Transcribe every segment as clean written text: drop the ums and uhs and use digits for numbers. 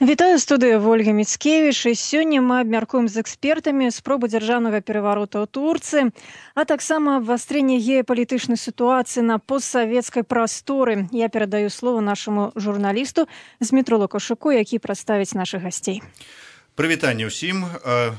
Вітаю, студыя Ольга Міцкевіч, і сёння мы абмяркуем з экспертамі спробу дзяржаўнага пераварота ў Турцыі, а таксама абвастрэнне геапалітычнай сітуацыі на постсавецкай прасторы. Я перадаю слово нашаму журналісту Змітру Лукашуку, які прадставіць нашых гасцей. Прывітанне ўсім.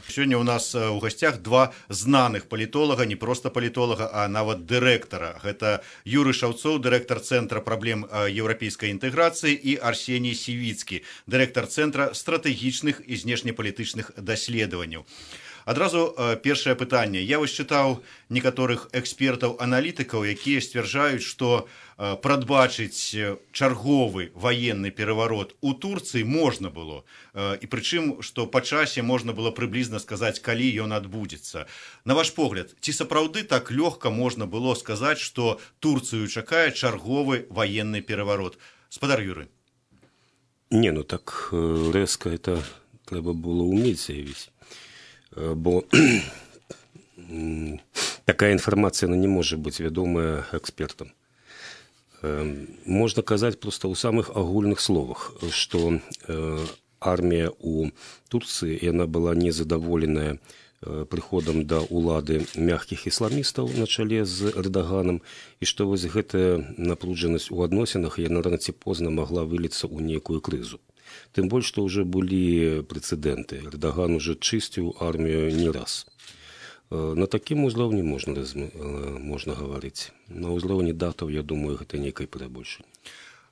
Сёння ў нас у гасцях два знаных палітолага, не проста палітолага, а нават дырэктара. Гэта Юрый Шаўцоў, дырэктар Цэнтра праблем еўрапейскай інтэграцыі, і Арсеній Сівіцкі, дырэктар Цэнтра стратэгічных і знешнепалітычных даследаванняў. Адразу першае пытанне. Я вось чытаў некаторых экспертаў-аналітыкаў, якія сцвярджаюць, што прадбачыць чарговы ваенны пераварот у Турцыі можна было. І прычым, што па часе можна было прыблізна сказаць, калі ён адбудзецца. На ваш погляд, ці сапраўды так лёгка можна было сказаць, што Турцыю чакае чарговы ваенны пераварот? Спадар Юрый. Не, ну так рэзка это трэба было ўмець заявіць. Бо такая інфармацыя не можа быць вядомая экспертам. Можна казаць проста ў самых агульных словах, што армія ў Турцыі, яна была незадаволеная прыходам да ўлады мяккіх ісламістаў на чале з Эрдаганам, і што вось гэтая напружанасць у адносінах, яна рана ці позна магла выліцца ў нейкую крызу. Тым больш, што ўжо былі прэцэдэнты. Эрдаган уже чысціў армію не раз. На такім узроўні можна гаварыць. На ўзроўні датаў, я думаю, гэта нейкае перабольшанне.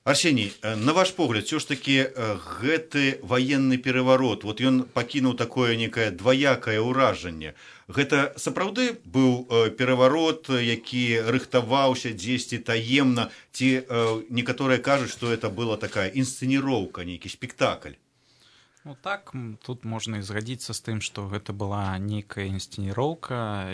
Арсеній, на ваш погляд, все ж таки гэты ваенны пераварот, вот ён пакінуў такое некае дваякае ўражанне. Гэта сапраўды быў пераварот, які рыхтаваўся дзесьці таемна, ці некаторыя кажуць, што это была такая інсцэніроўка, нейкі спектакль? Ну так, тут можна і згадзіцца з тым, што гэта была нейкая інсцэніроўка,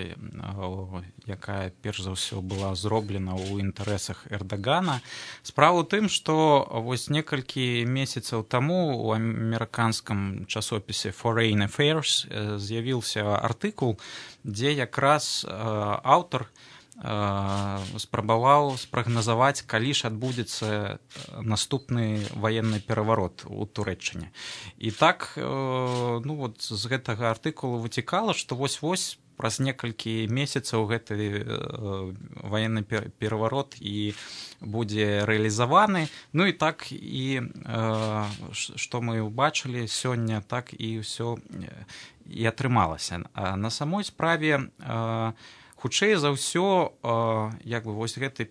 якая перш за ўсё была зроблена ў інтарэсах Эрдагана. Справа ў тым, што вось некалькі месяцаў таму у амерыканскім часопісе Foreign Affairs з'явіўся артыкул, дзе якраз аўтар спрабаваў спрагназаваць, калі ж адбудзецца наступны ваенны пераварот у Турэччыне. І так, ну вот з гэтага артыкулу выцікала, што вось-вось праз некалькі месяцаў гэты ваенны пераварот і будзе рэалізаваны. Ну і так, і што мы ўбачылі сёння, так і ўсё і атрымалася. На самой справе хутчэй за ўсё, як бы вось гэты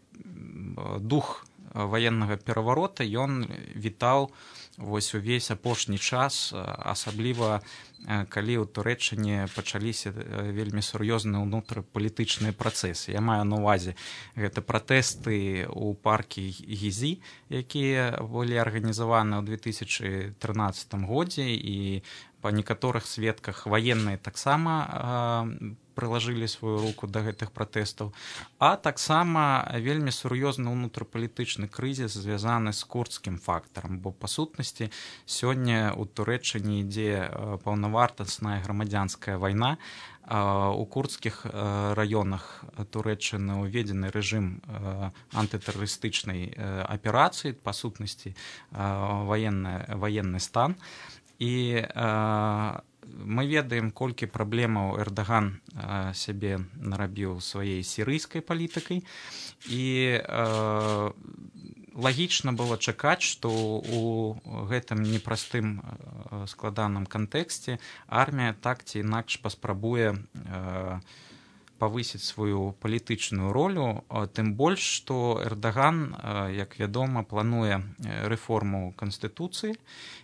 дух ваеннага пераварота, ён вітаў вось увесь апошні час, асабліва калі ў Турэччыне пачаліся вельмі сур'ёзныя ўнутрапалітычныя працэсы. Я маю на ўвазе гэта пратэсты ў паркі Гізі, якія былі арганізаваны ў 2013 годзе, і па некаторых сведках ваенныя таксама прылажылі сваю руку да гэтых пратэстаў, а таксама вельмі сур'ёзны ўнутрапалітычны крызіс звязаны з курдскім фактарам, бо па сутнасці сёння ў Турэччыне ідзе паўнавартасная грамадзянская вайна. У курдскіх раёнах Турэччыны ўведзены рэжым антытэрарыстычнай аперацыі, па сутнасці ваенны стан. І мы ведаем, колькі праблемаў Эрдаган сябе нарабіў сваёй сірыйскай палітыкай, і лагічна было чакаць, што ў гэтым непростым складаным кантэксце армія так ці інакш паспрабуе павысіць сваю палітычную ролю, тым больш, што Эрдаган, як вядома, плануе рэформу Канстытуцыі,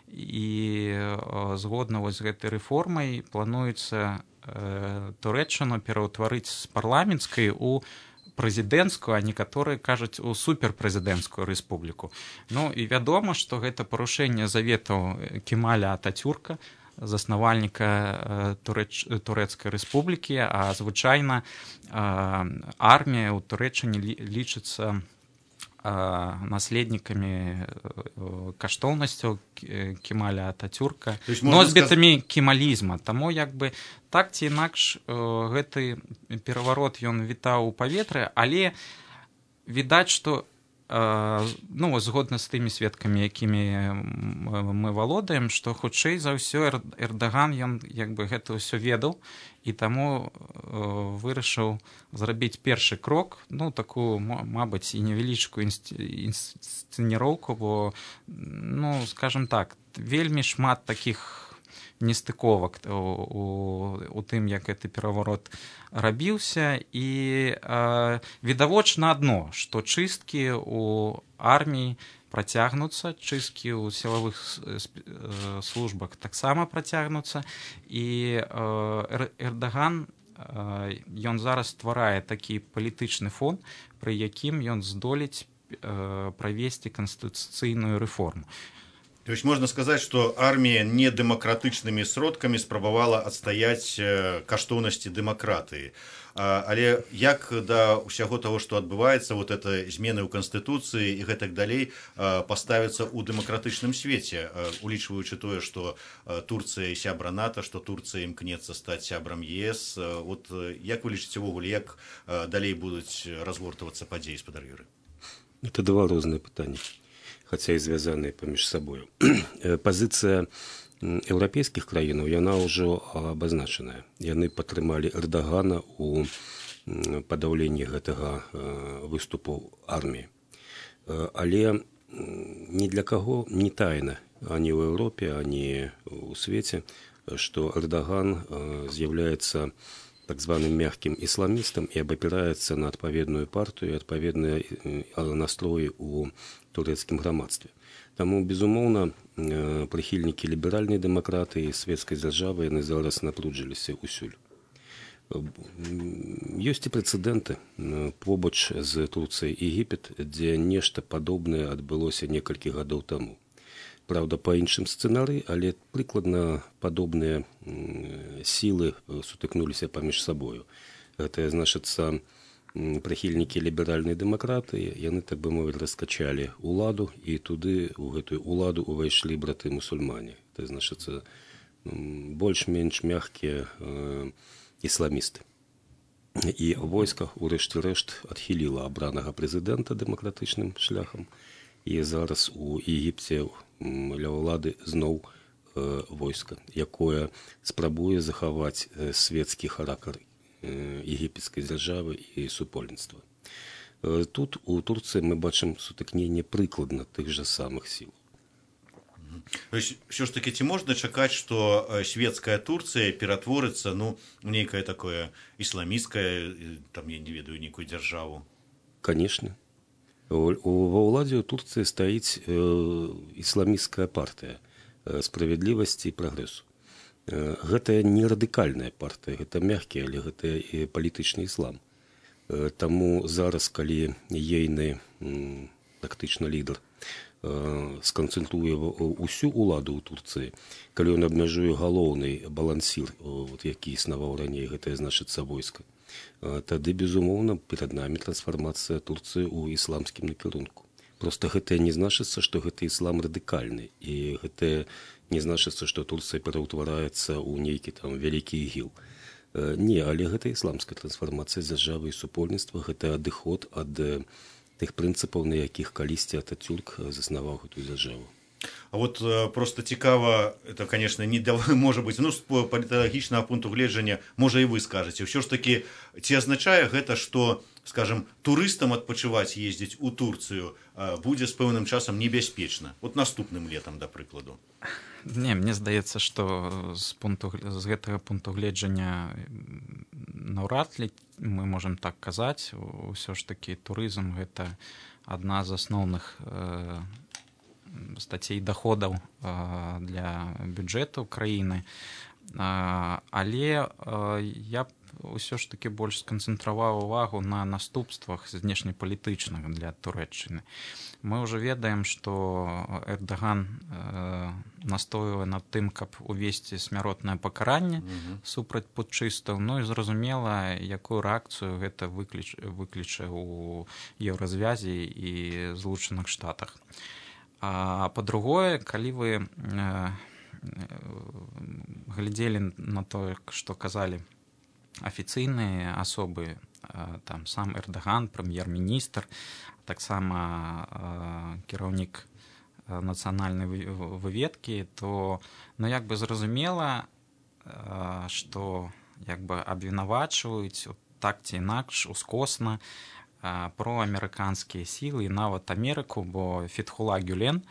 і згодна з гэтай рэформай плануецца Турэччыну пераўтварыць з парламенцкай у прэзідэнцкую, а некаторыя кажуць у суперпрэзідэнцкую рэспубліку. Ну і вядома, што гэта парушэнне заветаў Кемаля Ататюрка, заснавальніка Турэцкай рэспублікі, а звычайна армія ў Турэччыне лічыцца наследнікамі каштоўнасцяў Кемаля Ататюрка, носьбітамі кемалізма. Таму як бы так ці інакш гэты пераварот ён вітаў у паветры, але відаць, што ну, згодна з тымі сведкамі, якімі мы валодаем, што хутчэй за ўсё Эрдаган, ён як бы гэта ўсё ведаў, і таму вырашыў зрабіць першы крок, ну, такую, мабыць, і невялічкую інсцэніроўку, бо, ну, скажем так, вельмі шмат такіх нестыковак у тым, як гэты пераварот рабіўся, і відавочна адно, што чысткі ў арміі працягнуцца, чысткі ў сілавых службах таксама працягнуцца, і Эрдаган, ён зараз стварае такі палітычны фон, пры якім ён здолець правесці канстытуцыйную рэформу. То есть можно сказать, что армия недемократычнымі сродкамі спрабавала адстаяць каштоўнасці дэмакратыі. Але як да ўсяго того, што адбываецца, вот это змены ў канстытуцыі і гэтак далей, паставіцца ў дэмакратычным свеце, улічваючы тое, што Турцыя сябра НАТО, што Турцыя імкнецца стаць сябрам ЕС. Вот як вы лічыце ўвогуле, як далей будуць разгортвацца падзеі, спадар Юрый? Это два розныя пытанні, хотя и связанные поміж собой. Позиция еўрапейскіх краінаў, яна ўжо абазначаная. Яны падтрымалі Эрдагана ў падаўленні гэтага выступу арміі. Але ні для каго не тайна, ані ў Еўропе, ані ў свеце, што Эрдаган з'яўляецца так званым мягким исламистом и обопирается на адпаведную партию и адпаведные настрои у турецкім грамадстве. Таму, безумоўна, прыхільнікі ліберальнай дэмакратыі і светскай дзяржавы яны зараз напружыліся ўсюль. Ёсць і прэцэдэнты побач з Турцыяй і Егіпет, дзе нешта падобнае адбылося некалькі гадоў таму. Правда, па іншым сцэнарыі, але прыкладна падобныя сілы сутыкнуліся паміж сабою. Гэта, значыцца, прыхільнікі ліберальнай дэмакратыі, яны, так бы мовіць, раскачалі уладу, і туды, у гэтую уладу увайшлі браты-мусульмане. Гэта, значыцца, больш-менш мягкія ісламісты. І войска, урэшце рэшт, адхіліла абранага прэзідэнта дэмакратычным шляхам, і зараз у Егіпце ля ўлады зноў войска, якое спрабуе захаваць светскі характар егіпецкай дзяржавы і супольніцтва. Тут у Турцыі мы бачым сутыкненне прыкладна тых жа самых сіл. То есть, все ж таки, ці можна чакаць, што светская Турцыя ператворыцца, ну, у нейкае такое ісламісцкае, там, я не ведаю, нейкую дзяржаву? Конечно. Ва ўладзе ў Турцыі стаіць ісламісцкая партыя справядлівасці і прагрэсу. Гэта не радыкальная партыя, гэта мягкі, але гэта і палітычны іслам. Таму зараз, калі ейны тактычны лідар сканцэнтруе ўсю ўладу ў Турцыі, калі ён абмяжуе галоўны балансір, які існаваў раней, гэта значыцца войска, тады, безумоўна, перад намі трансфармацыя Турцыі ў ісламскім накірунку. Проста гэта не значыцца, што гэта іслам радыкальны, і гэта не значыцца, што Турцыя пераўтвараецца ў нейкі там вялікі ігіл. Не, але гэта ісламская трансфармацыя дзяржавы і супольніцтва, гэта адыход ад тых прынцыпаў, на якіх калісьці Ататюрк заснаваў гэтую дзяржаву. А вот просто цікава, это, конечно, не может быть, ну, з паліталагічнага пункту гледжання, можа і вы скажаце, ўсё ж таки, ці азначае гэта, што, скажем, турыстам адпачываць ездзіць у Турцыю будзе з пэўным часам небяспечна? Вот наступным летам, да прыкладу. Не, мне здаецца, што з гэтага пункту гледжання наўрад ли мы можам так казаць. Усё ж такі турызм гэта адна з асноўных статей доходаў для бюджэту краіны, але я ўсё ж таки больш сканцэнтраваў увагу на наступствах знешнепалітычных для Турэччыны. Мы ўжо ведаем, што Эрдаган настойвае над тым, каб увесці смяротнае пакаранне супраць путчыстаў, ну і зразумела, якую рэакцыю гэта выкліча ў Еўразвязе і Злучаных Штатах. А па-другое, калі вы глядзелі на тое, што казалі афіцыйныя асобы, там сам Эрдаган, прэм'ер-міністр, таксама кіраўнік нацыянальнай выведкі, то як бы зразумела, што абвінавачваюць так ці інакш ускосна проамерыканскія сілы і нават Амерыку, бо Фетхулла Гюлен,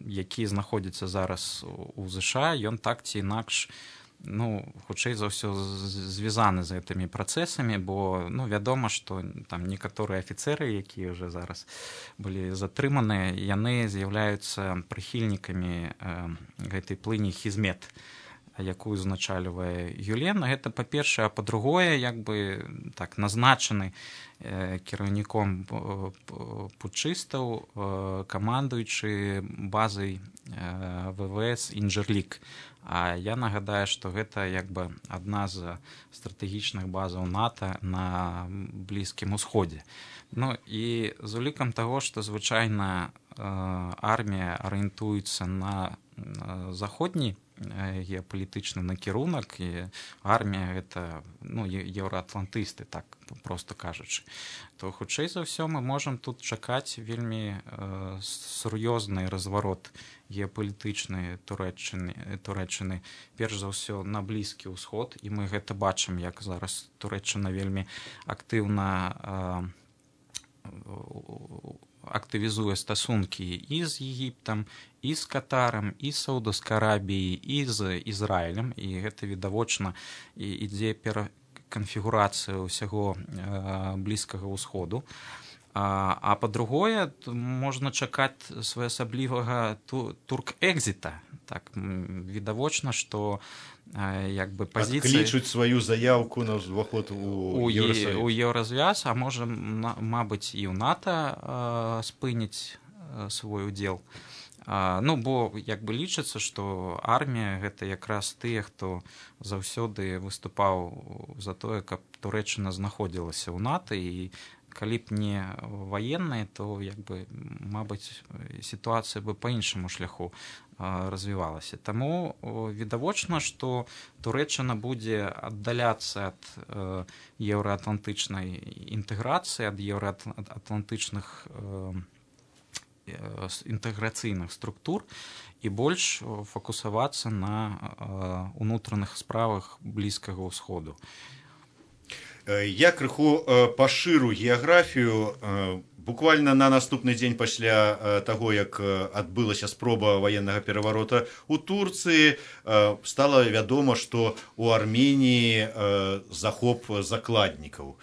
які знаходзіцца зараз у ЗША, ён так ці інакш хутчэй за ўсё звязаны з гэтымі працэсамі, бо вядома, што там некаторыя афіцэры, якія ўжо зараз былі затрыманыя, яны з'яўляюцца прыхільнікамі гэтай плыні Хізмет, якую узначальвае Гюлен. Гэта па-першае, а па-другое, назначаны кіраўніком путчыстаў камандуючы базай ВВС Інджерлік. А я нагадаю, што гэта адна з стратэгічных базаў НАТО на Блізкім Усходзе. І з улікам таго, што звычайна армія арыентуецца на заходні геапалітычны накірунак, і армія гэта еўраатлантысты, так проста кажучы, то хутчэй за ўсё мы можам тут чакаць вельмі сур'ёзны разварот геапалітычнай Турэччыны, перш за ўсё на Блізкі ўсход, і мы гэта бачым, як зараз Турэччына вельмі актывізуе стасункі і з Егіптам, і з Катарам, і з Саудаўскай Арабіяй, і з Ізраілем, і гэта відавочна ідзе пераканфігурацыя ўсяго Блізкага ўсходу. А па-другое, можна чакаць своеасаблівага турк-экзіта. Так, відавочна, што пазіцыі... Адклічуць сваю заявку на ўваход у Еўрасаюз. У Еўразвяз, а можа, мабыць, і ў НАТО спыніць свой удзел. Бо лічыцца, што армія гэта якраз тыя, хто заўсёды выступаў за тое, каб Турэччына знаходзілася ў НАТО, і калі б не ваенныя, то мабыць, сітуацыя бы па іншаму шляху развівалася. Таму відавочна, што Турэччына будзе аддаляцца ад еўраатлантычнай інтэграцыі, ад еўраатлантычных інтэграцыйных структур і больш фокусавацца на унутраных справах Блізкага ўсходу. Я крыху пашыру геаграфію. Буквально на наступны дзень пасля таго, як адбылася спроба ваеннага пераварота ў Турцыі, стала вядома, што ў Арменіі захоп закладнікаў.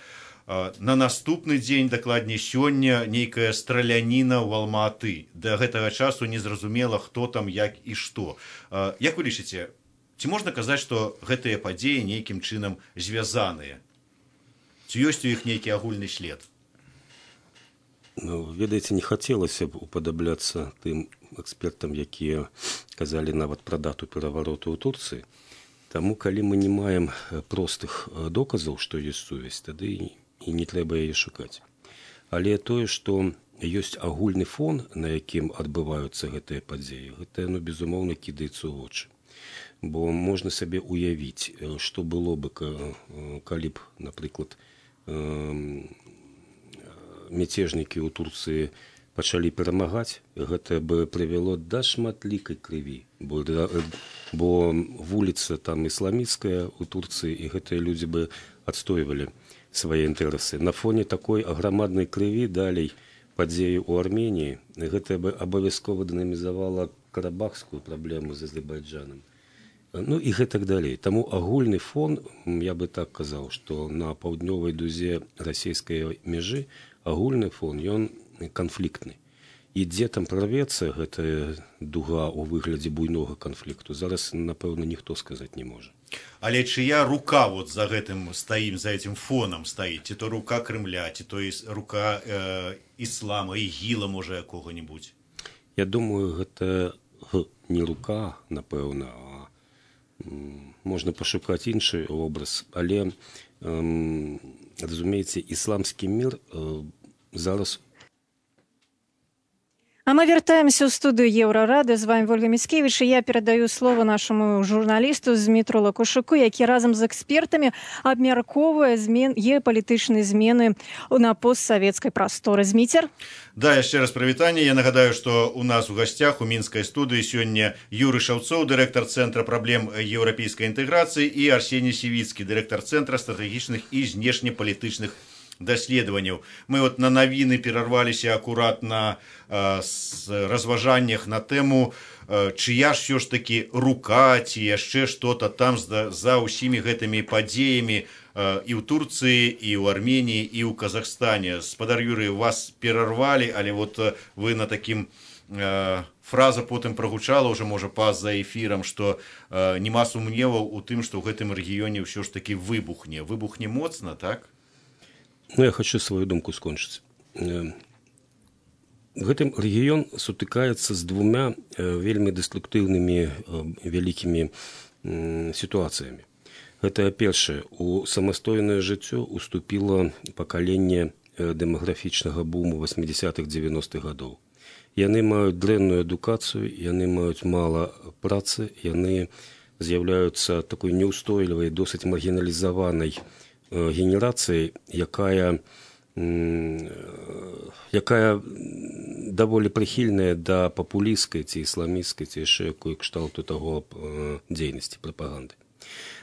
На наступны дзень, дакладней сёння, нейкая страляніна ў Алма-Аты. Да гэтага часу незразумела, хто там, як і што. Як вы лічыце, ці можна казаць, што гэтыя падзеі нейкім чынам звязаныя? Ці ёсць у іх нейкі агульны след? Ведаеце, не хацелася б уподабляцца тым экспертам, якія казалі нават пра дату перавароту ў Турцыі. Таму, калі мы не маем простых доказаў, што ёсць сувязь, тады і не трэба яе шукаць. Але тое, што ёсць агульны фон, на якім адбываюцца гэтыя падзеі, гэта, безумоўна, кідаецца ў вочы. Бо можна сабе уявіць, што было бы, калі б, напрыклад, мяцежнікі ў Турцыі пачалі перамагаць, гэта бы прывяло да шматлікай крыві, бо вуліца там ісламісцкая ў Турцыі, і гэтыя людзі бы адстойвалі свае інтарэсы. На фоне такой аграмаднай крыві далей падзеі ў Арменіі, гэта бы абавязкова дынамізавала карабахскую праблему з Азербайджанам. І гэтак далей. Таму агульны фон, я бы так казаў, што на паўднёвай дузе расійскай мяжы агульны фон, ён канфліктны. І дзе там прарвецца гэтая дуга ў выглядзе буйнога канфлікту, зараз, напэўна, ніхто сказаць не можа. Але чыя рука за гэтым стаім, за гэтым фонам стаіць? Ці то рука Крымля, ці то рука іслама, ігіла, можа, якога-небудзь? Я думаю, гэта не рука, напэўна, можна пашукаць іншы образ, але, разумееце, ісламскі мір зараз... А мы вяртаемся ў студыю Еўрарады. З вами Ольга Міцкевіч, і я перадаю слово нашаму журналісту Змітру Лакушуку, які разам з экспертамі абмяркоўвае геапалітычныя змены на постсавецкай прасторы. Зміцер? Да, яшчэ раз прывітанне. Я нагадаю, што у нас у гасцях у мінскай студыі сёння Юрый Шаўцоў, дырэктар Цэнтра праблем еўрапейскай інтэграцыі, і Арсеній Сівіцкі, дырэктар Цэнтра стратэгічных і знешнепалітычных даследаванняў. Мы вот на навіны перарваліся акурат на разважаннях на тэму, чыя ж все ж таки рука ці яшчэ што-то там за ўсімі гэтымі падзеямі і ў Турцыі, і ў Арменіі, і ў Казахстане. Спадар Юрый, вас перарвалі, але вот вы на такім фраза потым прагучала ўжо, можа, па-за эфірам, што няма сумневаў у тым, што ў гэтым рэгіёне ўсё ж таки выбухне моцна, так? Ну, я хочу свою думку скончыць. Гэтым рэгіён сутыкаецца з двумя вельмі дэструктыўнымі вялікімі сітуацыямі. Гэта першае, у самастойнае жыццё уступіла пакаленне дэмаграфічнага буму 80-х, 90-х гадоў. Яны маюць дрэнную адукацыю, яны маюць мала працы, яны з'яўляюцца такой неўстойлівай, досыць маргіналізаванай генерацыяй, якая даволі прыхільная да папулісцкай ці ісламісцкай ці яшчэ якой кшталту таго дзейнасці прапаганды.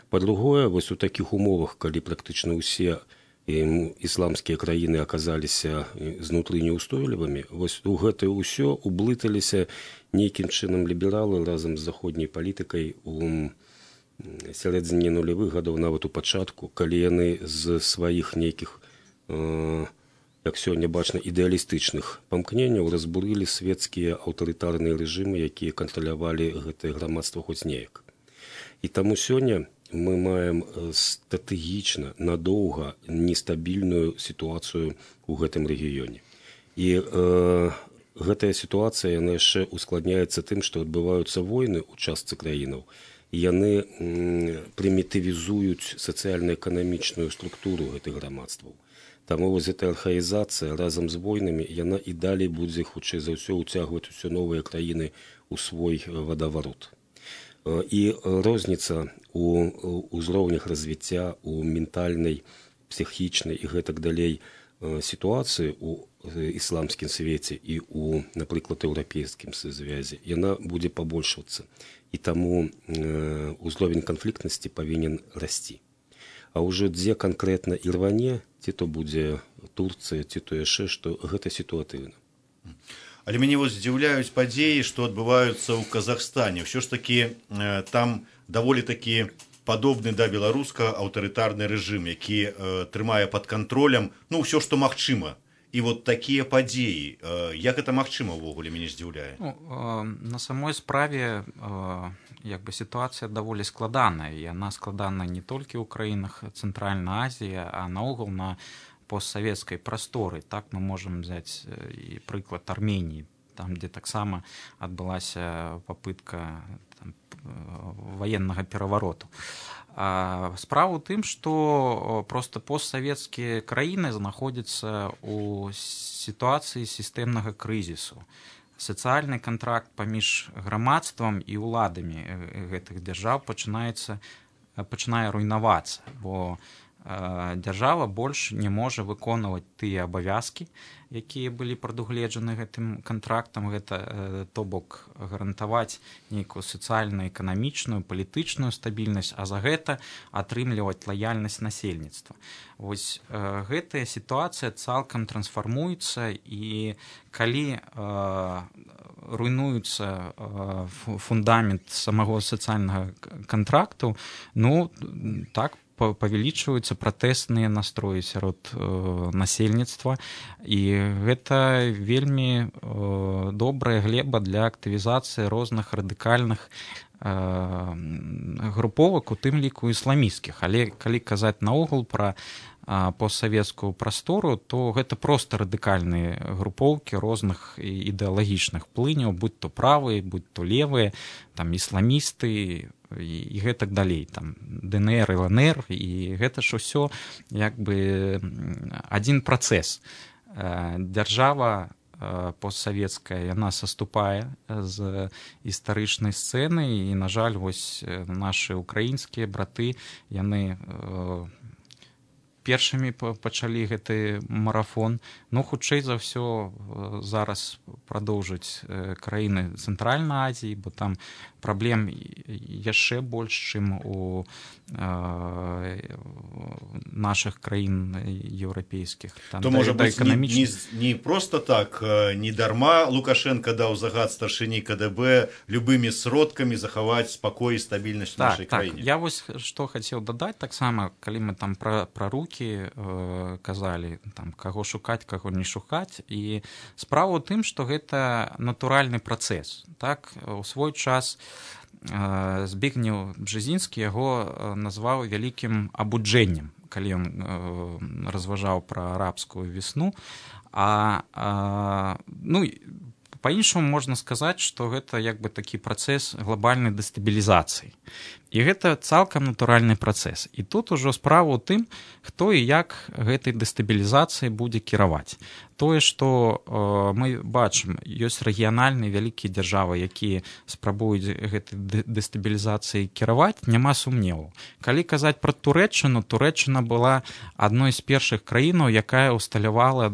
Па-другое, вось у такіх умовах, калі практычна ўсе ісламскія краіны аказаліся знутры неўстойлівымі, вось у гэтае ўсё ублыталіся нейкім чынам лібералы разам з заходняй палітыкай у сярэдзіне нулявых гадоў, нават у пачатку, калі яны з сваіх нейкіх, як сёння бачна, ідэалістычных памкненняў разбурылі свецкія аўтарытарныя рэжымы, якія кантралявалі гэтае грамадства хоць неяк. І таму сёння мы маем стратэгічна, надоўга нестабільную сітуацыю ў гэтым рэгіёне. І гэтая сітуацыя, яна яшчэ ускладняецца тым, што адбываюцца войны ў частцы краінаў, яны прымітывізуюць сацыяльна-эканамічную структуру гэтых грамадстваў. Таму вось гэтая архаізацыя разам з войнамі, яна і далей будзе, хутчэй за ўсё, уцягваць усё новыя краіны ў свой вадаварот. І розніца ў узроўнях развіцця, у ментальнай, псіхічнай і гэтак далей сітуацыі ў ісламскім свеце і ў, напрыклад, еўрапейскім звязе, яна будзе пабольшвацца. І таму ўзровень канфліктнасці павінен расці. А ўжо дзе канкрэтна і рване, ці то будзе Турцыя, ці то яшчэ, што гэта сітуатыўна. Але мяне вось здзіўляюць падзеі, што адбываюцца ў Казахстане. Ўсё ж такі там даволі такі падобны да беларускага аўтарытарны рэжым, які трымае пад кантролем, ну, ўсё, што магчыма. І вот такія падзеі, як гэта магчыма ўвогуле, мяне здзіўляе? На самой справе сітуацыя даволі складаная. Яна складана не толькі ў краінах Цэнтральнай Азіі, а наогул на постсавецкай прасторы. Так мы можам взяць і прыклад Арменіі, там, дзе таксама адбылася папытка ваеннага перавароту. Справа ў тым, што проста постсавецкія краіны знаходзяцца ў сітуацыі сістэмнага крызісу. Сацыяльны кантракт паміж грамадствам і ўладамі гэтых дзяржаў пачынае руйнавацца, бо дзяржава больш не можа выконваць тыя абавязкі, якія былі прадугледжаны гэтым кантрактам, гэта, то бок, гарантаваць нейкую сацыяльна-эканамічную, палітычную стабільнасць, а за гэта атрымліваць лаяльнасць насельніцтва. Вось гэтая сітуацыя цалкам трансфармуецца, і калі руйнуецца фундамент самого сацыяльнага кантракту, ну, так, павялічваюцца пратэстныя настроі сярод насельніцтва, і гэта вельмі добрая глеба для актывізацыі розных радыкальных груповак, у тым ліку ісламісцкіх. Але калі казаць наогул пра постсавецкую прастору, то гэта проста радыкальныя групоўкі розных ідэалагічных плыняў, будь то правыя, будь то левыя, там ісламісты і гэтак далей, там ДНР, ЛНР, і гэта ж усё як бы адзін працэс. Дзяржава постсавецкая, яна саступае з гістарычнай сцэны, і, на жаль, вось нашы украінскія браты, яны першымі пачалі гэты марафон. Ну, хутчэй за ўсё, зараз прадоўжаць краіны Цэнтральнай Азіі, бо там праблем яшчэ больш, чым у наших краін еўрапейскіх. То, можа быць, не просто так, не дарма Лукашенко даў загад старшыні КДБ любымі сродкамі захаваць спакой і стабільнасць нашай краіне. Я вось што хацеў дадаць, таксама, калі мы там пра рукі казалі, там, каго шукаць, каго не шукаць, і справа ў тым, што гэта натуральны працэс. Так, у свой час Збігнеў Бжезінскі яго назваў вялікім абуджэннем, калі ён разважаў пра арабскую весну. Ну, па-іншаму можна сказаць, што гэта як бы такі працэс глобальнай дэстабілізацыі. І гэта цалкам натуральны працэс. І тут ужо справа ў тым, хто і як гэтай дэстабілізацыяй будзе кіраваць. Тое, што мы бачым, ёсць рэгіянальныя вялікія дзяржавы, якія спрабуюць гэтай дэстабілізацыяй кіраваць, няма сумневу. Калі казаць пра Турэччыну, Турэччына была адной з першых краінаў, якая ўсталявала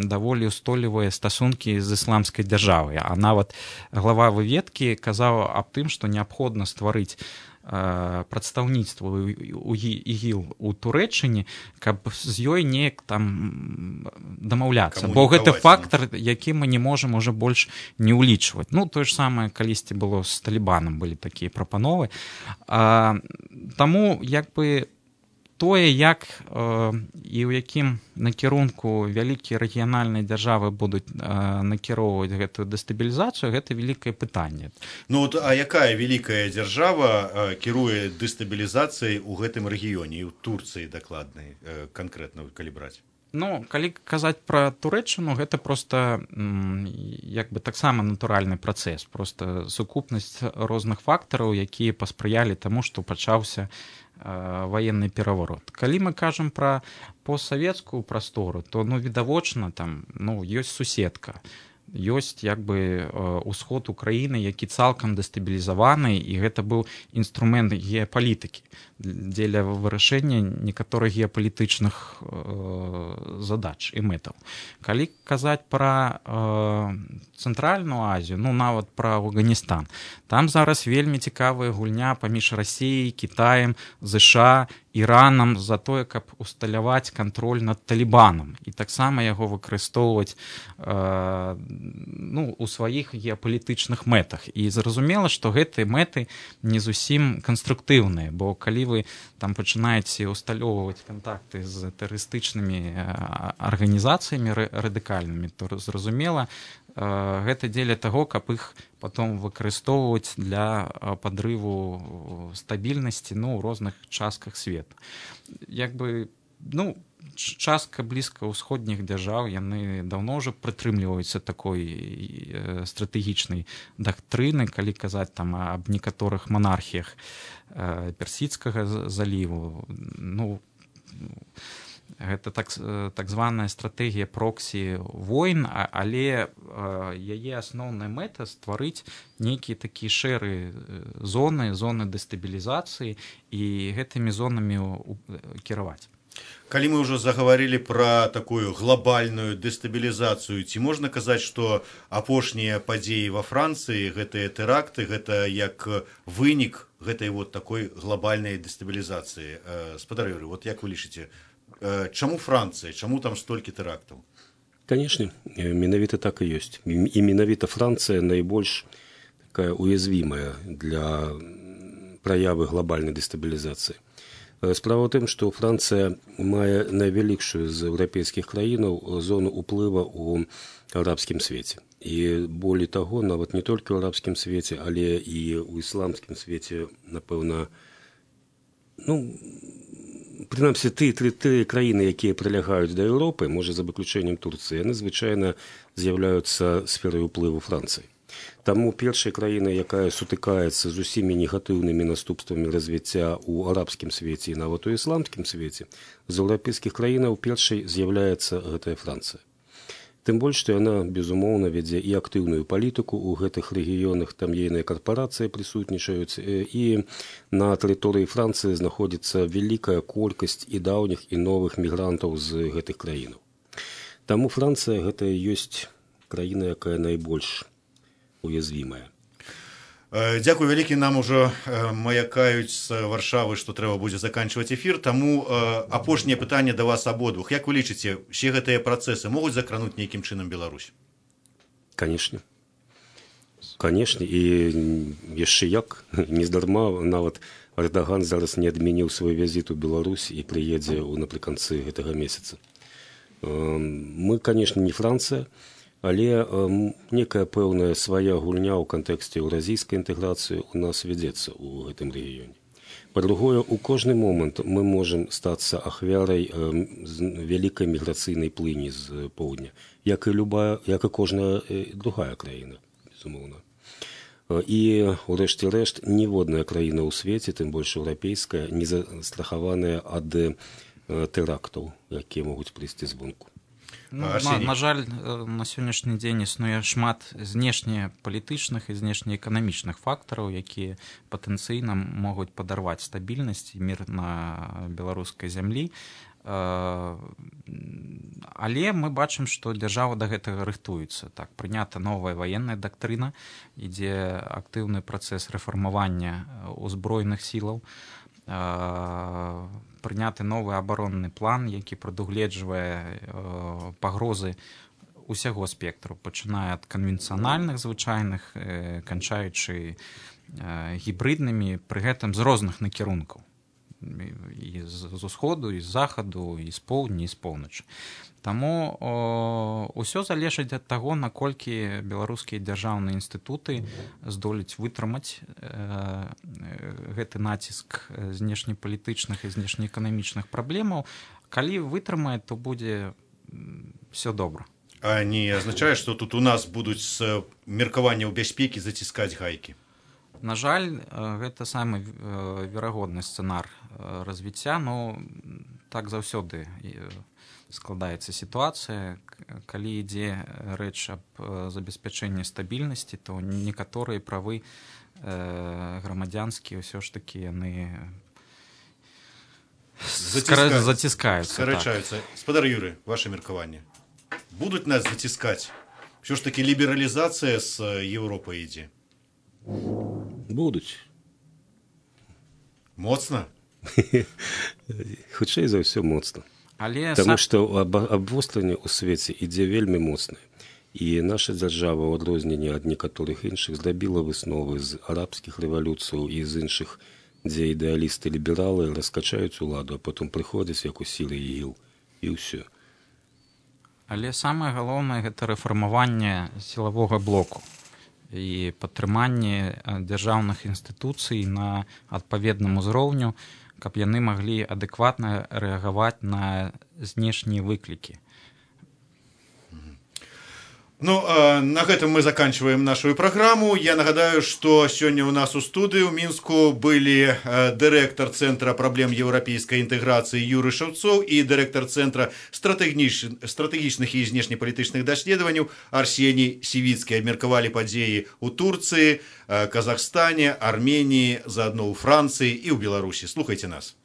даволі ўстойлівыя стасункі з ісламскай дзяржавай. А нават глава выведкі казаў аб тым, што неабходна стварыць прадстаўніцтва у ІГІЛ у Турэччыне, каб з ёй неяк там дамаўляцца. Бо гэта фактар, які мы не можам уже больш не ўлічваць. Ну, тое ж самае калісьці было з Талібанам, былі такія прапановы. Таму, як бы, тое, як і ў якім накірунку вялікія рэгіянальныя дзяржавы будуць накіроўваць гэтую дэстабілізацыю, гэта вялікае пытанне. Ну, а якая вялікая дзяржава кіруе дэстабілізацыяй у гэтым рэгіёне, і ў Турцыі дакладнай, канкрэтна, калі браць? Ну, калі казаць пра Турэччыну, гэта проста як бы таксама натуральны працэс, проста сукупнасць розных фактараў, якія паспрыялі таму, што пачаўся ваенны пераварот. Калі мы кажам пра постсавецкую прастору, то, ну, відавочна, там, ну, ёсць суседка, ёсць як бы ўсход Украіны, які цалкам дэстабілізаваны, і гэта быў інструмент геапалітыкі дзеля вырашэння некаторых геапалітычных задач і мэтаў. Калі казаць пра Цэнтральную Азію, ну, нават пра Афганістан, там зараз вельмі цікавая гульня паміж Расіяй, Кітаем, ЗША, Іранам за тое, каб усталяваць кантроль над Талібанам і таксама яго выкарыстоўваць ну, у сваіх геапалітычных мэтах. І зразумела, што гэтыя мэты не зусім канструктыўныя, бо калі вы там пачынаеце усталёўваць кантакты з тэрарыстычнымі арганізацыямі радыкальнымі, то зразумела, гэта дзеля таго, каб іх потом выкарыстоўваць для падрыву стабільнасці, ну, ў розных частках свету. Як бы, ну, частка блізкаўсходніх дзяржаў, яны даўно ўжо прытрымліваюцца такой стратэгічнай дактрыны, калі казаць там аб некаторых манархіях Персідскага заліву. Ну, гэта так званая стратэгія проксі войн, але яе асноўная мэта стварыць нейкія такія шэрыя зоны дэстабілізацыі і гэтымі зонамі кіраваць. Калі мы ўжо загаварылі пра такую глобальную дэстабілізацыю, ці можна казаць, што апошнія падзеі ва Францыі, гэтыя тэракты, гэта як вынік гэтай вот такой глобальнай дэстабілізацыі? Спадар Юрый, вот як вы лічыце, чаму Францыя, чаму там столькі тэрактаў? Конечно, менавіта так і ёсць. І менавіта Францыя найбольш такая уязвімая для праявы глобальнай дэстабілізацыі. Справа ў тым, што Францыя мае найвялікшую з еўрапейскіх краінаў зону ўплыва ў арабскім свеце. І болей таго, нават не толькі ў арабскім свеце, але і ў ісламскім свеце, напэўна, ну, прынамсі, тры краіны, якія прылягаюць да Еўропы, можа, за выключэннем Турцыі, яны звычайна з'яўляюцца сферай уплыву Францыі. Таму першая краіна, якая сутыкаецца з усімі негатыўнымі наступствамі развіцця ў арабскім свеце і нават у ісламскім свеце, з еўрапейскіх краінаў першай з'яўляецца гэтая Францыя. Тым больш, што яна, безумоўна, вядзе і актыўную палітыку ў гэтых рэгіёнах, там ейныя карпорацыі прысутнічаюць, і на тэрыторыі Францыі знаходзіцца вялікая колькасць і даўніх, і новых мігрантаў з гэтых краінаў. Таму Францыя гэта і ёсць краіна, якая найбольш уязвімая. Дзякуй вялікі, нам ужо маякаюць з Варшавы, што трэба будзе заканчваць эфір, таму апошняе пытанне да вас абодвух. Як вы лічыце, усе гэтыя працэсы могуць закрануць нейкім чынам Беларусь? Канешне. Канешне, і яшчэ як, нездарма нават Эрдаган зараз не адмяніў свой візіт у Беларусь і прыедзе напрыканцы гэтага месяца. Мы, канешне, не Францыя, але некая пэўная свая гульня ў кантэксце еўразійскай інтэграцыі ў нас вядзецца ў гэтым рэгіёне. Па-другое, у кожны момант мы можам стацца ахвярай вялікай міграцыйнай плыні з поўдня, як і кожная другая краіна, безумоўна. І, урэшце рэшт, ніводная краіна ў свеце, тым больш еўрапейская, не застрахаваная ад тэрактаў, якія могуць прыйсці звонку. На жаль, на сённяшні дзень існуе шмат знешнепалітычных і знешнеэканамічных фактараў, якія патэнцыйна могуць падарваць стабільнасць і мір на беларускай зямлі. Але мы бачым, што дзяржава да гэтага рыхтуецца. Так, прынята новая ваенная дактрына, ідзе актыўны працэс рэфармавання ўзброеных сілаў, прыняты новы абаронны план, які прадугледжвае пагрозы усяго спектру, пачынае ад канвенцыянальных звычайных, канчаючы гібрыднымі, пры гэтым з розных накірункаў. І з усходу, і з захаду, і з поўдня, і з поўначы. Таму ўсё залежыць ад таго, наколькі беларускія дзяржаўныя інстытуты здолець вытрымаць гэты націск знешнепалітычных і знешнеэканамічных праблемаў. Калі вытрымае, то будзе все добра. А не азначае, што тут у нас будуць з меркаванняў бяспекі заціскаць гайкі? На жаль, гэта самы верагодны сцэнар развіцця, но так заўсёды складаецца сітуацыя. Калі ідзе рэч аб забеспячэнні стабільнасці, то некаторыя правы грамадзянскія ўсё ж такі яны заціскаюцца. Скарачаюцца. Спадар Юрый, ваше меркаванне. Будуць нас заціскаць? Ўсё ж такі лібералізацыя з Еўропай ідзе? Будуць. Моцна? Хутчэй за ўсё моцна. Таму што абвостранне ў свеце ідзе вельмі моцна. І наша дзяржава, ў адрозненні ад некаторых іншых, зрабіла высновы з арабскіх рэвалюцыяў і з іншых, дзе ідэалісты-лібералы раскачаюць уладу, а потым прыходзяць як у сілы ігіл. І ўсё. Але самае галоўнае – гэта рэфармаванне сілавога блоку і падтрыманне дзяржаўных інстытуцый на адпаведным узроўню, каб яны маглі адэкватна рэагаваць на знешнія выклікі. Ну, на гэтым мы заканчиваем нашу программу. Я нагадаю, что сегодня у нас у студии в Минску были директор Центра проблем европейской интеграции Юрий Шаўцоў и директор Центра стратегічных и внешнеполитичных даследований Арсений Сивицкий. Обмерковали подеи у Турции, Казахстане, Армении, заодно у Франции и у Беларуси. Слухайте нас.